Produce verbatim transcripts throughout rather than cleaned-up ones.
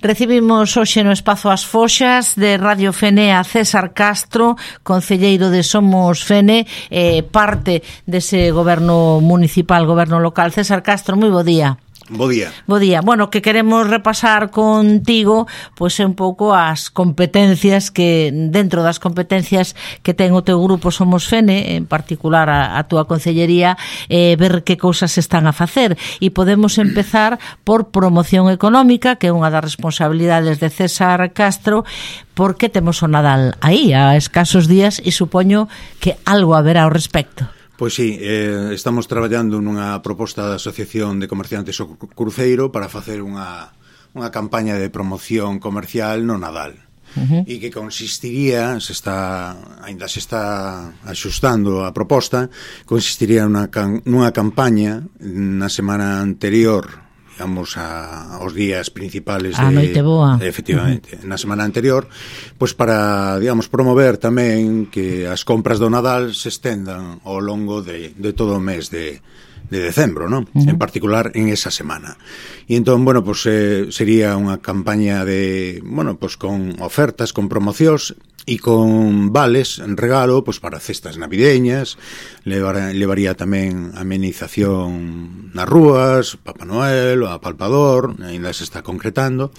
Recibimos hoxe no Espazo As Foxas de Radio Fene a César Castro, concelleiro de Somos Fene, eh, parte dese goberno municipal, goberno local. César Castro, moi bo día. Bo día. Bo día. Bueno, que queremos repasar contigo pois é un pouco as competencias que, dentro das competencias que ten o teu grupo Somos Fene, en particular a, a túa concellería, eh, ver que cousas están a facer. E podemos empezar por promoción económica, que é unha das responsabilidades de César Castro, porque temos o Nadal aí, a escasos días, e supoño que algo haberá ao respecto. Pois sí, eh, estamos traballando nunha proposta da Asociación de Comerciantes o Cruceiro para facer unha, unha campaña de promoción comercial no Nadal. Uh-huh. E que consistiría, se está, ainda se está axustando a proposta, consistiría nunha, nunha campaña na semana anterior, digamos, a, aos días principales de, a noite boa. Efectivamente, uh-huh. na semana anterior, pois para, digamos, promover tamén que as compras do Nadal se estendan ao longo de, de todo o mes de, de decembro, non? Uh-huh. En particular en esa semana. E entón, bueno, pois eh, sería unha campaña de, bueno, pois con ofertas, con promocións e con vales en regalo, pois para cestas navideñas, levar, levaría tamén amenización nas rúas, Papá Noel, o apalpador, ainda se está concretando.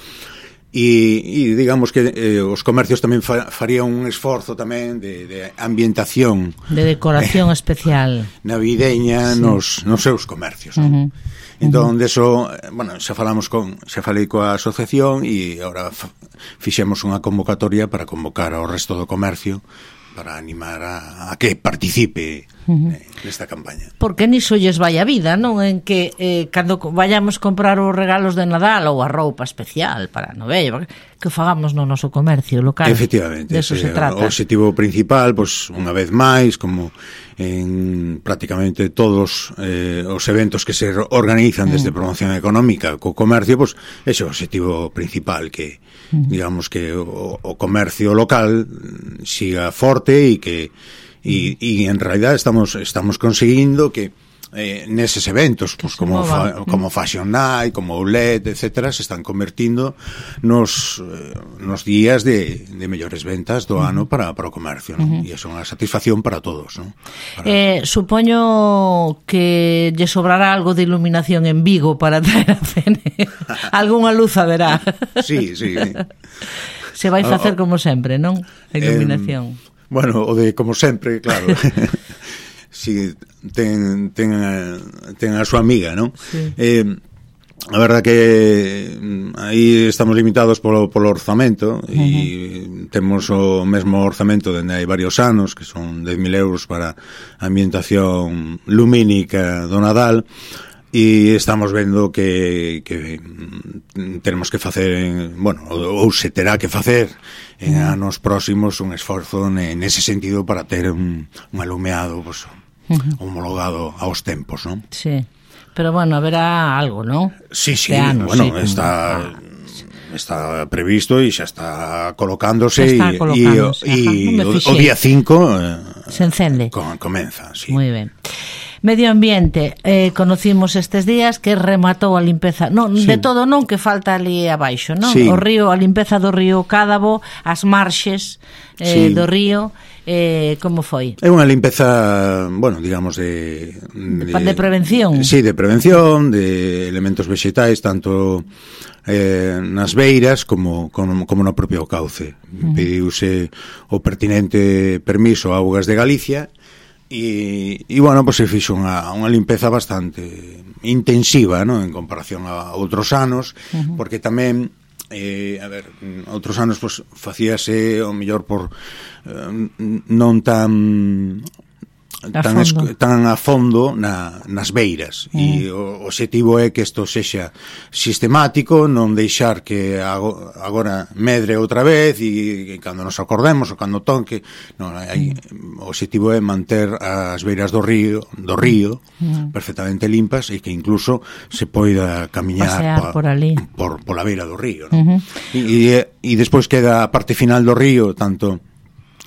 E, e digamos que eh, os comercios tamén fa, farían un esforzo tamén de, de ambientación, de decoración eh, especial navideña, sí, nos, nos seus comercios, non? Uh-huh. Entón, uh-huh. deso, bueno, xa falamos con, xa falei coa asociación e agora f- fixemos unha convocatoria para convocar ao resto do comercio para animar a, a que participe uh-huh. eh, nesta campaña. Porque niso lles vai a vida, non? En que eh, cando vayamos comprar os regalos de Nadal ou a roupa especial para a novella, que o fagamos no noso comercio local. Efectivamente, de eso se trata. O objetivo principal, pois, unha vez máis, como en prácticamente todos eh, os eventos que se organizan desde mm. promoción económica co comercio, pois, ese é o objetivo principal, que mm. digamos que o, o comercio local siga forte e que e, e en realidad estamos estamos conseguindo que eh, neses eventos, pues, como, fa, como Fashion Night, como Outlet, etcétera, se están convertindo nos, eh, nos días de, de mellores ventas do ano para, para o comercio, ¿no? Uh-huh. E é unha satisfacción para todos, ¿no? Para... Eh, supoño que lle sobrará algo de iluminación en Vigo para traer a Fene. Algúnha luz haberá. Sí, sí. Se vai facer como sempre, non? A iluminación. Eh, bueno, o de como sempre, claro. Si ten, ten, a, ten a súa amiga, non? Sí. Eh, a verdad que aí estamos limitados polo, polo orzamento. Uh-huh. E temos o mesmo orzamento dende hai varios anos, que son dez mil euros para a ambientación lumínica do Nadal, e estamos vendo que, que tenemos que facer en, bueno, ou se terá que facer en uh-huh. anos próximos un esforzo nese sentido para ter un, un alumeado, pues, uh-huh. homologado aos tempos, non? Sí, pero bueno, haberá algo, non? Sí, sí, anos, bueno, sí, está ah, sí. está previsto e xa está colocándose está e, colocándose, e, e o, o día cinco eh, se encende. Com, comeza, sí. Moi ben. Medio ambiente, eh, conocimos estes días que rematou a limpeza, non, sí. de todo non, que falta ali abaixo, non? Sí. O río, a limpeza do río Cádabo, as marxes eh, sí. do río, eh, como foi? É unha limpeza, bueno, digamos de, de... De prevención. Sí, de prevención, de elementos vexetais, tanto eh, nas beiras como, como, como no propio cauce. Uh-huh. Pediuse o pertinente permiso a Augas de Galicia. E, e bueno, pues se fixo unha, unha limpeza bastante intensiva, ¿no? En comparación a outros anos, uh-huh. porque tamén eh, a ver, outros anos pues, facíase o mellor por eh, non tan a tan, es, tan a fondo na, nas beiras, uh-huh. e o objetivo é que isto sexa sistemático, non deixar que agora medre outra vez e, e cando nos acordemos ou cando tonque, non, hai, uh-huh. o objetivo é manter as beiras do río do río uh-huh. perfectamente limpas e que incluso se poida camiñar pa, por ali por, por la beira do río, non? Uh-huh. e, e, e despois queda a parte final do río, tanto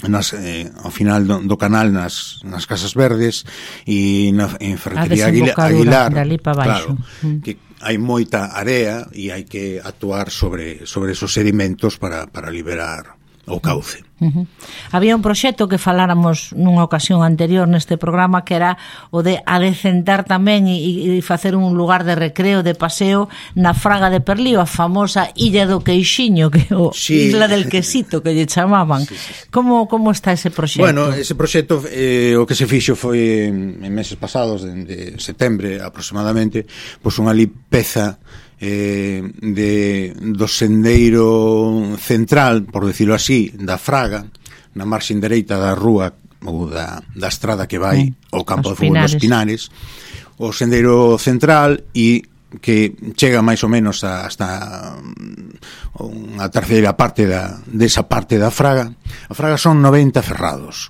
nas, eh, ao final do, do canal nas, nas Casas Verdes e na, en Ferretería Aguilar, Aguilar de ali para baixo. Claro, mm. que hai moita area e hai que actuar sobre, sobre esos sedimentos para, para liberar o cauce. Uh-huh. Había un proxecto que faláramos nunha ocasión anterior neste programa que era o de adecentar tamén e, e facer un lugar de recreo, de paseo na Fraga de Perlío, a famosa Illa do Queixiño, que o sí. Isla del Quesito que lle chamaban. Sí, sí. Como, como está ese proxecto? Bueno, ese proxecto eh, o que se fixo foi en, en meses pasados, de, de setembro aproximadamente, pois unha limpeza Eh, de, do sendeiro central, por decirlo así, da Fraga, na marxen dereita da rúa ou da, da estrada que vai ao campo de fútbol dos Pinares, o sendeiro central, e que chega máis ou menos a, hasta unha terceira parte da, desa parte da Fraga. A Fraga son noventa ferrados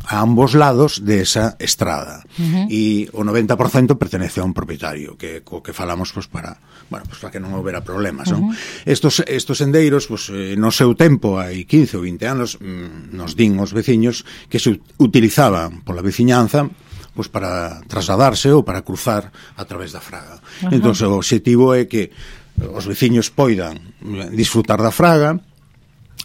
a ambos lados de esa estrada, uh-huh. e o noventa por cento pertenece a un propietario que co que falamos pues para, bueno, pues para que non houbera problemas, uh-huh. non? Estos estos sendeiros, pues eh, no seu tempo, hai quince ou vinte anos, mm, nos din os veciños que se utilizaban pola veciñanza pues para trasladarse ou para cruzar a través da Fraga. Uh-huh. Entón, o obxectivo é que os veciños poidan disfrutar da Fraga.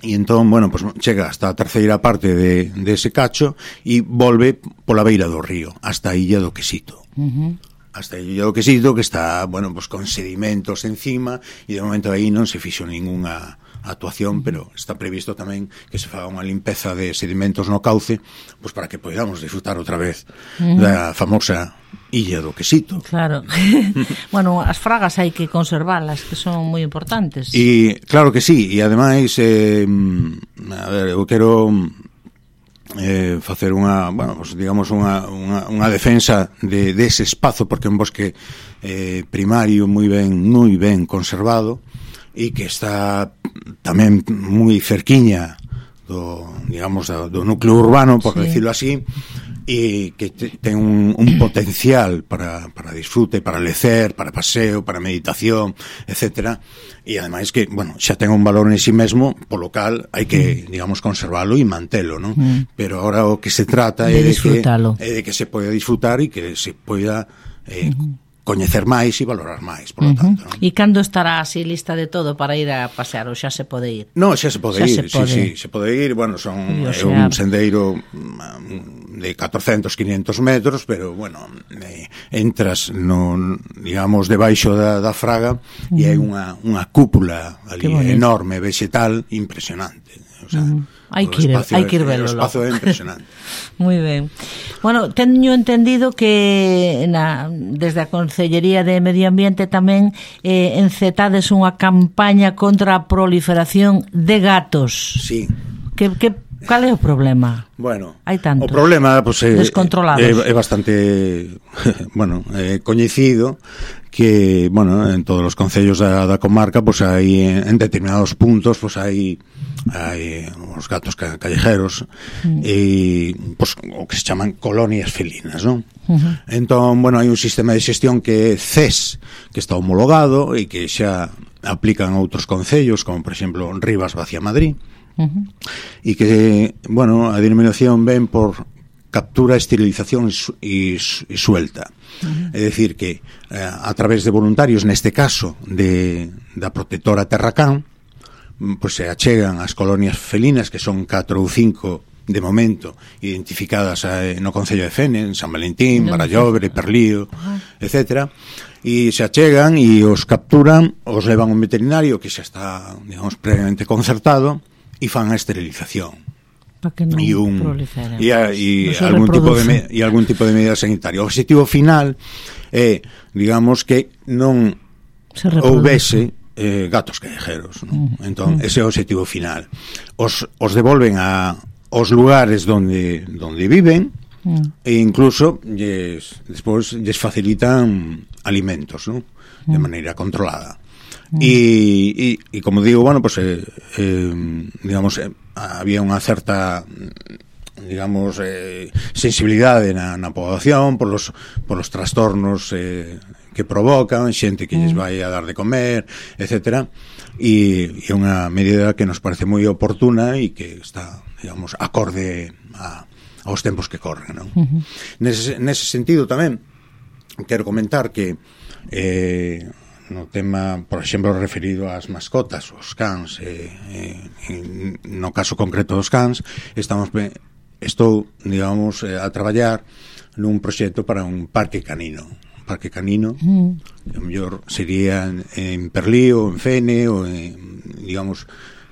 E entón, bueno, pues chega hasta a terceira parte de, de ese cacho e volve pola beira do río hasta a Illa do Quesito. Uh-huh. Hasta a Illa do Quesito, que está, bueno, pues con sedimentos encima, e de momento aí non se fixo ningunha actuación, pero está previsto tamén que se faga unha limpeza de sedimentos no cauce, pues para que podamos disfrutar outra vez uh-huh. da famosa Illa do Quesito. Claro. Bueno, as fragas hai que conservalas, que son moi importantes. E claro que sí, e ademais eh, a ver, eu quero eh, facer unha, bueno, pues, digamos unha, unha, unha defensa de, de ese espazo, porque é un bosque eh, primario moi ben, moi ben conservado, e que está tamén moi cerquiña do, digamos, do núcleo urbano, por sí. decirlo así, e que te, ten un, un potencial para, para disfrute, para lecer, para paseo, para meditación, etcétera. E ademais que, bueno, xa ten un valor en sí mesmo, polo cal hai que, mm. digamos, conservalo e mantelo, non? Mm. Pero ahora o que se trata de é de que, é de que se poida disfrutar e que se poida eh, mm. coñecer máis e valorar máis, por lo uh-huh. tanto, non? E cando estará así lista de todo para ir a pasear, ou xa se pode ir? No, xa se pode xa ir, se pode. sí, sí, se pode ir, bueno, son é un sendeiro de catorcentos, quinientos metros, pero, bueno, eh, entras no, digamos, debaixo da, da Fraga uh-huh. e hai unha, unha cúpula ali enorme, vegetal, impresionante, o sea, uh-huh. hai que ir, hai que ir velo. O espazo é impresionante. Moi ben. Bueno, teño entendido que na, desde a Consellería de Medio Ambiente tamén eh, encetades unha campaña contra a proliferación de gatos. Sí. Que, que, cal é o problema? Bueno, hai tantos o problema pues, é, descontrolados. É, é bastante bueno, é coñecido que, bueno, en todos os concellos da, da comarca, pues hai en determinados puntos, pues hai hai os gatos ca, callejeros mm. e pues o que se chaman colonias felinas, non? Uh-huh. Entón, bueno, hai un sistema de xestión que é C E S, que está homologado e que xa aplican outros concellos, como por exemplo Rivas Vacía Madrid. Uh-huh. E que, bueno, a denominación ven por captura, esterilización e, e suelta. Uh-huh. É dicir que eh, a través de voluntarios, neste caso de, da protectora Terracán, pois se achegan as colonias felinas, que son catro ou cinco de momento identificadas eh, no Concello de Fene, en San Valentín, Barallobre, Perlío, uh-huh. etcétera, e se achegan e os capturan, os levan a un veterinario que xa está, digamos, previamente concertado, e fan a esterilización. Para que non e un, proliferen. E, a, e, no algún tipo de, e algún tipo de medida sanitaria. O objetivo final é, digamos, que non houbese eh, gatos callejeros, ¿no? Uh-huh. Entón, ese é o objetivo final. Os, os devolven a os lugares donde donde viven uh-huh. e incluso lles, despois lles facilitan alimentos, ¿no? De uh-huh. maneira controlada. E, e, e como digo, bueno, pues eh, eh, digamos, eh, había unha certa, digamos, eh, sensibilidade na, na poboación por los, por los trastornos eh, que provocan, xente que lles vai a dar de comer, etcétera, e é unha medida que nos parece moi oportuna e que está, digamos, acorde a, aos tempos que corren, non? Uh-huh. Nese, nese sentido tamén quero comentar que eh, no tema, por exemplo, referido ás mascotas, os cans, eh, eh, no caso concreto dos cans, estamos estou, digamos, eh, a traballar nun proxecto para un parque canino, un parque canino, mm. que o mellor sería en, en Perlí ou en Fene ou en, digamos,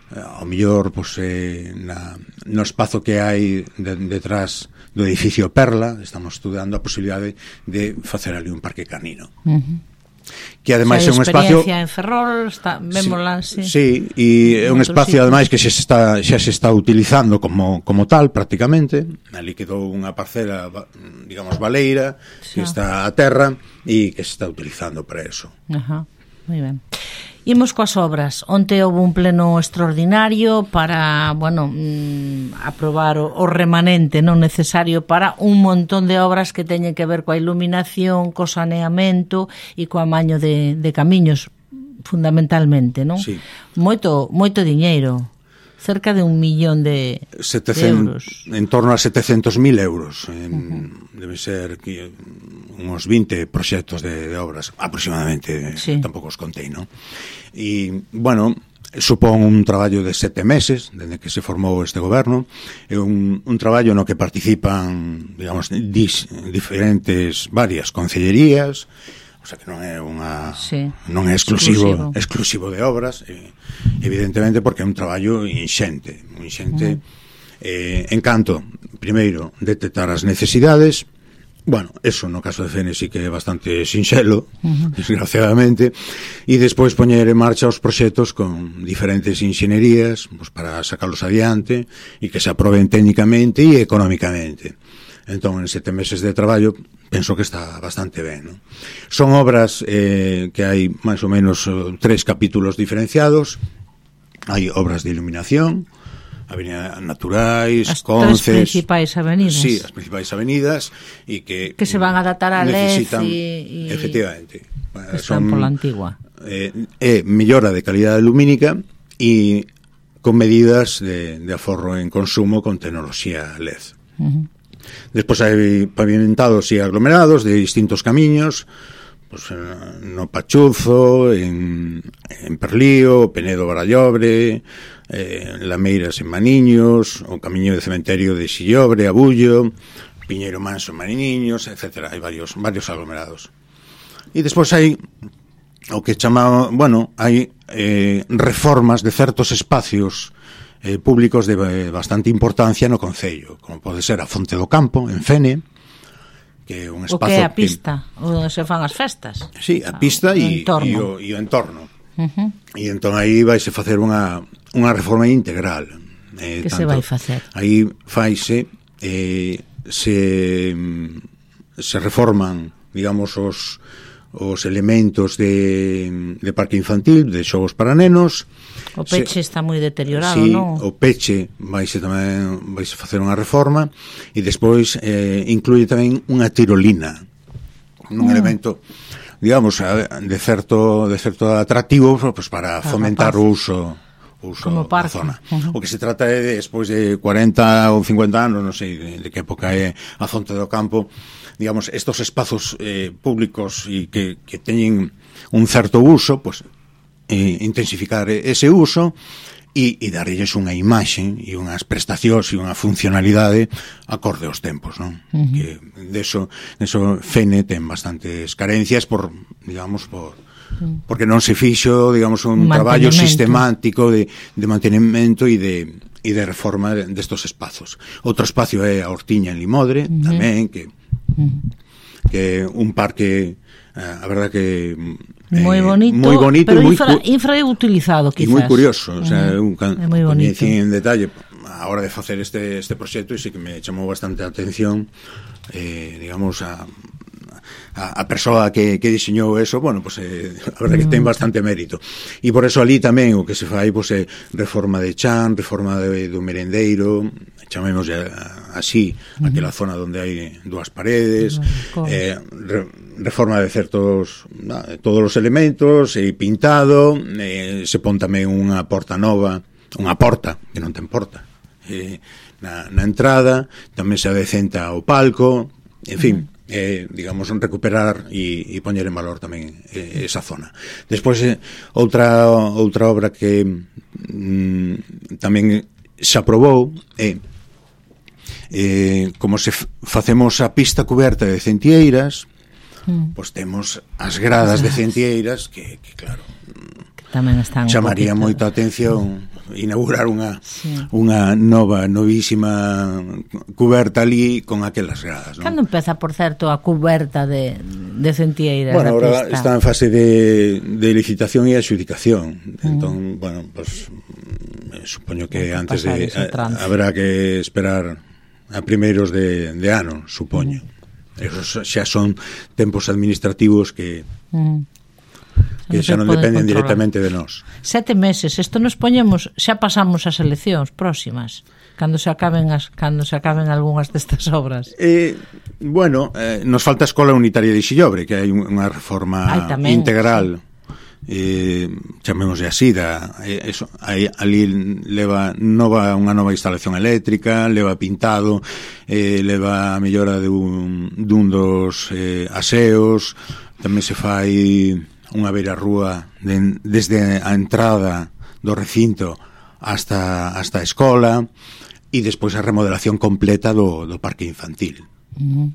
ao mellor pues, eh, na, no espazo que hai de, detrás do edificio Perla, estamos estudando a posibilidade de facer ali un parque canino. Uh-huh. Que ademais é un espacio en Ferrol, está, vémola, sí. Sí, e é un espacio ademais que xa se está xa se está utilizando como como tal prácticamente. Ali quedou unha parcela, digamos, baleira, sí, que está a terra e que se está utilizando para eso. Ajá. Moi ben. Imos coas obras. Onte houve un pleno extraordinario para, bueno, mmm, aprobar o, o remanente non necesario para un montón de obras que teñen que ver coa iluminación, co saneamento e co amaño de, de camiños, fundamentalmente, non? Sí. Moito, moito diñeiro. Cerca de un millón de, setecientos, de euros. En torno a setecentos mil euros. En, uh-huh. Debe ser que unos vinte proxectos de, de obras, aproximadamente, sí. Tampouco os contei, non? E, bueno, supón un traballo de sete meses, dende que se formou este goberno, é un, un traballo no que participan, digamos, dis, diferentes, varias concellerías, o sea que non é unha sí, non é exclusivo, exclusivo exclusivo de obras, eh, evidentemente porque é un traballo inxente, inxente uh-huh. eh, en canto, primeiro, detectar as necesidades. Bueno, eso no caso de Fene sí que é bastante sinxelo, uh-huh. desgraciadamente, e despois poñer en marcha os proxectos con diferentes inxenerías pues, para sacarlos adiante e que se aproben técnicamente e económicamente. Entón, en sete meses de traballo, penso que está bastante ben, ¿no? Son obras eh, que hai máis ou menos tres capítulos diferenciados. Hai obras de iluminación, avenidas naturais, as conces... As tres principais avenidas. Sí, as principais avenidas, e que... Que se van a adaptar a L E D e... Efectivamente. Están son, pola antigua. Eh, é mellora de calidade lumínica e con medidas de, de aforro en consumo con tecnoloxía L E D. Uh-huh. Despois hai pavimentados e aglomerados de distintos camiños, pues, no Pachuzo, en, en Perlío, Penedo Barallobre, eh, Lameiras en Maniños, o camiño de cementerio de Sillobre, Abullo, Piñeiro Manso en Maniños, etcétera. Hai varios, varios aglomerados. E despois hai o que chamamos, bueno, hai eh, reformas de certos espacios Eh, públicos de eh, bastante importancia no concello, como pode ser a Fonte do Campo, en Fene, que é un espazo... O que é a pista, que... onde se fan as festas. Sí, a pista e o, o entorno. Uh-huh. E entón aí vaise facer unha, unha reforma integral. Eh, que tanto, se vai facer? Aí faise, eh, se, se reforman, digamos, os... os elementos de, de parque infantil, de xogos para nenos. O peche se, está moi deteriorado, sí, non? O peche vaise tamén vaise facer unha reforma e despois eh, incluye tamén unha tirolina, un mm. elemento, digamos, de certo de certo atractivo pues, para fomentar o uso o uso da zona. Uh-huh. O que se trata é de, despois de cuarenta ou cincuenta anos, non sei de, de que época é a Fonte do Campo, digamos, estos espazos eh, públicos e que, que teñen un certo uso, pues, eh, intensificar ese uso e, e darlles unha imaxe e unhas prestacións e unha funcionalidade acorde aos tempos, non? Uh-huh. Que deso, deso Fene ten bastantes carencias por, digamos, por porque non se fixo, digamos, un traballo sistemático de, de mantenimento e de, e de reforma destos espazos. Outro espacio é a Hortiña en Limodre, uh-huh. tamén, que que un parque, a verdad que eh, moi bonito, moi bonito pero moi infra, infrautilizado quizás. E moi curioso, o sea, uh-huh. un can, é moi bonito. En detalle a hora de facer este este proxecto e sí que me chamou bastante a atención, eh, digamos, a a, a persoa que, que diseñou eso, bueno, pues eh, a verdade que ten bastante mérito. E por eso ali tamén o que se fai pues, é reforma de chan, reforma de, do merendeiro, chamemos así, uh-huh. aquela zona onde hai dúas paredes, uh-huh. eh, re, reforma de certos, na, todos os elementos, e pintado, eh, se pon tamén unha porta nova, unha porta, que non ten porta, eh, na, na entrada, tamén se adecenta o palco, en fin, uh-huh. eh, digamos, recuperar e, e poñer en valor tamén eh, esa zona. Despois, eh, outra outra obra que mm, tamén se aprobou é eh, como se facemos a pista cuberta de Centieiras, mm. pois temos as gradas de Centieiras que, que claro, que tamén están chamaría moita atención inaugurar unha sí. unha nova, novísima cuberta ali con aquelas gradas, non? Cando empeza, por certo, a cuberta de, de Centieiras? Bueno, ahora pista? Está en fase de, de licitación e adjudicación. Mm. Entón, bueno, pues supoño que bueno, antes de a, habrá que esperar a primeiros de, de ano, supoño. Mm. Esos xa son tempos administrativos que mm. que xa non dependen directamente de nós. Sete meses, isto nos poñemos, xa pasamos as eleccións próximas, cando se acaben as cando se acaben algunhas destas obras. Eh, bueno, eh, nos falta a Escola Unitaria de Xillobre, que hai unha reforma Ay, tamén, integral. Sí. Eh, chamémoslle así, da, eh, eso, aí, ali leva nova unha nova instalación eléctrica, leva pintado, eh, leva a mellora dun, dun dos eh, aseos, tamén se fai unha beira rúa de, desde a entrada do recinto hasta, hasta a escola e despois a remodelación completa do, do parque infantil. Uh-huh.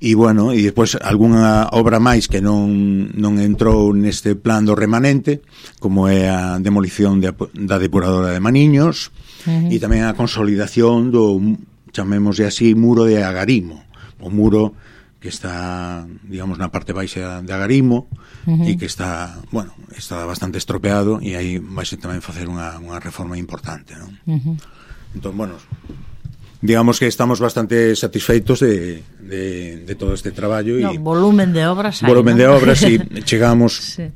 E bueno, e despois algunha obra máis que non, non entrou neste plan do remanente, como é a demolición de, da depuradora de Maniños, uh-huh. e tamén a consolidación do, chamémoslle así, muro de Agarimo, o muro que está, digamos, na parte baixa de Agarimo, uh-huh. e que está, bueno, está bastante estropeado, e aí vai ser tamén facer unha, unha reforma importante, non? Uh-huh. Entón, bueno, digamos que estamos bastante satisfeitos de, de, de todo este traballo. No, e volumen de obras hai, volumen ¿no? de obras, e chegamos sí.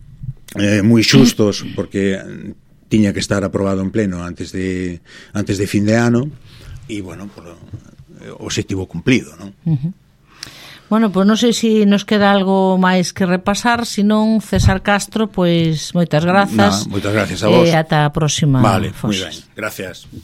eh, moi xustos, porque tiña que estar aprobado en pleno antes de antes de fin de ano, e, bueno, por, o objetivo cumplido, non? Uh-huh. Bueno, pois non sei se nos queda algo máis que repasar, senón César Castro, pois moitas grazas. Nah, moitas gracias a vos. E ata a próxima. Vale, moi ben, gracias.